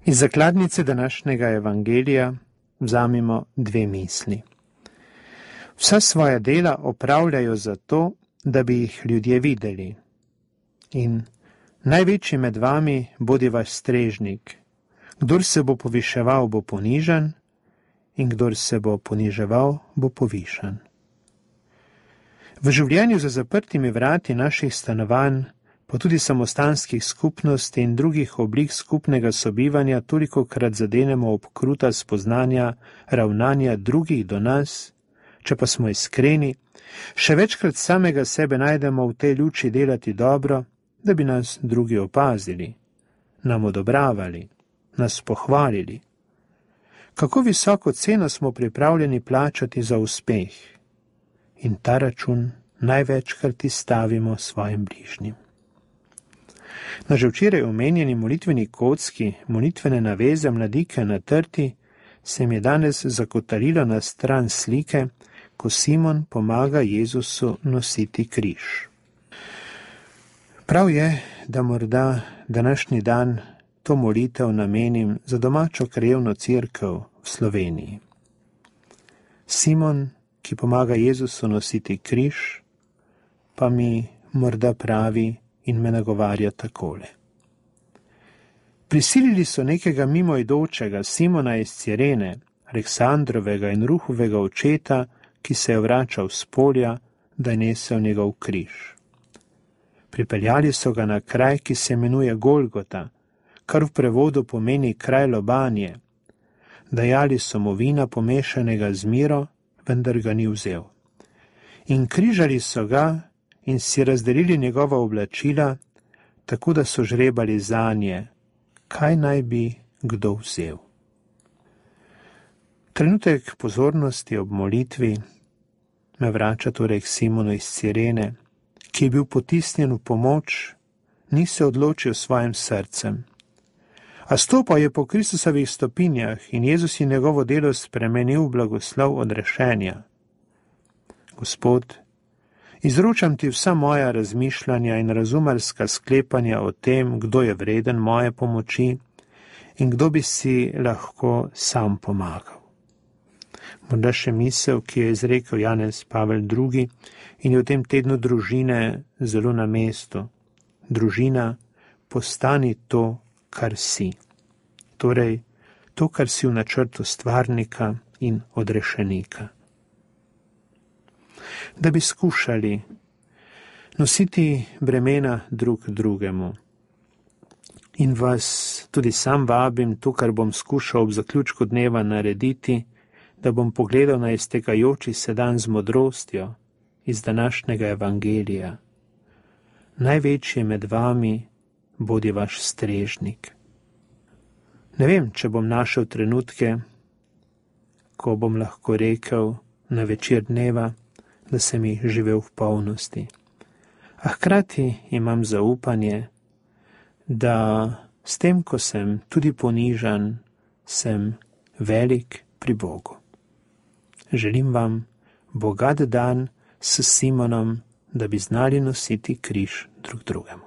Iz zakladnice današnjega evangelija vzamemo dve misli. Vsa svoja dela opravljajo zato, da bi jih ljudje videli. In največji med vami bodi vaš strežnik. Kdor se bo poviševal, bo ponižan, in kdor se bo poniževal, bo povišan. V življenju za zaprtimi vrati naših stanovanj, pa tudi samostanskih skupnosti in drugih oblik skupnega sobivanja tolikokrat zadenemo ob kruta spoznanja, ravnanja drugih do nas, če pa smo iskreni, še večkrat samega sebe najdemo v tej luči delati dobro, da bi nas drugi opazili, nam odobravali, nas pohvalili. Kako visoko ceno smo pripravljeni plačati za uspeh? In ta račun največkrat izstavimo svojim bližnjim. Na že včeraj omenjeni molitveni kocki, molitvene naveze mladike na trti, se mi je danes zakotalilo na stran slike, ko Simon pomaga Jezusu nositi križ. Prav je, da morda današnji dan to molitev namenim za domačo krajevno cerkev v Sloveniji. Simon, ki pomaga Jezusu nositi križ, pa mi morda pravi in me nagovarja takole. Prisilili so nekega mimoidočega Simona iz Cirene, Aleksandrovega in Ruhovega očeta, ki se je vračal s polja, da je nesel njegov križ. Pripeljali so ga na kraj, ki se imenuje Golgota, kar v prevodu pomeni kraj lobanje. Dajali so mu vina pomešanega z miro, vendar ga ni vzel. In križali so ga in si razdelili njegova oblačila, tako da so žrebali zanje, kaj naj bi kdo vzel. Trenutek pozornosti ob molitvi me vrača torej k Simonu iz Cirene, ki je bil potisnjen v pomoč, ni se odločil s svojim srcem. A stopal je po Kristusovih stopinjah in Jezus je njegovo delo spremenil v blagoslov odrešenja. Gospod, izročam ti vsa moja razmišljanja in razumarska sklepanja o tem, kdo je vreden moje pomoči in kdo bi si lahko sam pomagal. Morda še misel, ki je izrekel Janez Pavel II. In je v tem tednu družine zelo na mestu. Družina, postani to, kar si. Torej, to, kar si v načrtu stvarnika in odrešenika. Da bi skušali nositi bremena drug drugemu. In vas tudi sam vabim, to, kar bom skušal ob zaključku dneva narediti, da bom pogledal na iztekajoči se dan z modrostjo iz današnjega evangelija. Največji med vami bodi vaš strežnik. Ne vem, če bom našel trenutke, ko bom lahko rekel na večer dneva, da sem jih živel v polnosti. A hkrati imam zaupanje, da s tem, ko sem tudi ponižan, sem velik pri Bogu. Želim vam bogat dan s Simonom, da bi znali nositi križ drug drugemu.